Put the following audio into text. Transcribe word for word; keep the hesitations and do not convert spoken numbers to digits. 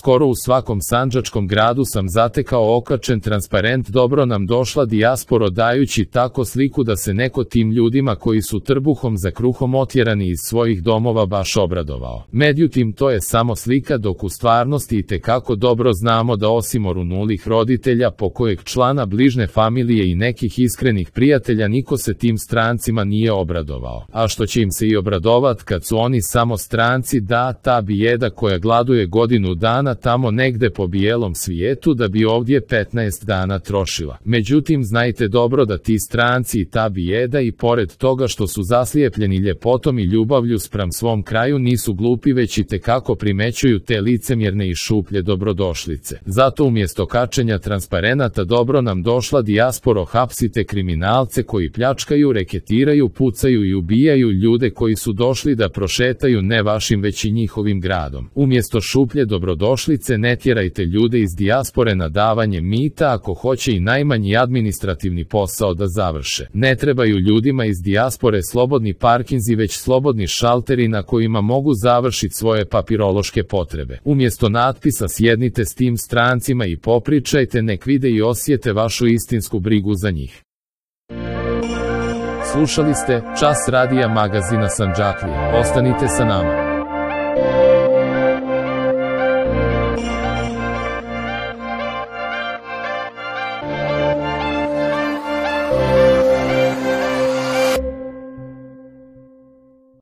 Skoro u svakom sandžačkom gradu sam zatekao okačen transparent dobro nam došla dijasporo, dajući tako sliku da se neko tim ljudima koji su trbuhom za kruhom otjerani iz svojih domova baš obradovao. Međutim, to je samo slika, dok u stvarnosti itekako dobro znamo da osim orunulih roditelja, pokojeg člana bližne familije i nekih iskrenih prijatelja, niko se tim strancima nije obradovao. A što će im se i obradovat kad su oni samo stranci, da, ta bijeda koja gladuje godinu dana tamo negde po bijelom svijetu da bi ovdje petnaest dana trošila. Međutim, znajte dobro da ti stranci i ta bijeda, i pored toga što su zaslijepljeni ljepotom i ljubavlju spram svom kraju, nisu glupi, već itekako primećuju te licemjerne i šuplje dobrodošlice. Zato umjesto kačenja transparenata dobro nam došla dijasporo, hapsite kriminalce koji pljačkaju, reketiraju, pucaju i ubijaju ljude koji su došli da prošetaju ne vašim već i njihovim gradom. Umjesto šuplje dobrodošlice ne tjerajte ljude iz dijaspore na davanje mita ako hoće i najmanji administrativni posao da završe. Ne trebaju ljudima iz dijaspore slobodni parkinzi, već slobodni šalteri na kojima mogu završiti svoje papirološke potrebe. Umjesto natpisa sjednite s tim strancima i popričajte, nek vide i osjete vašu istinsku brigu za njih. Slušali ste Čas radija magazina Sandžaklije. Ostanite sa nama.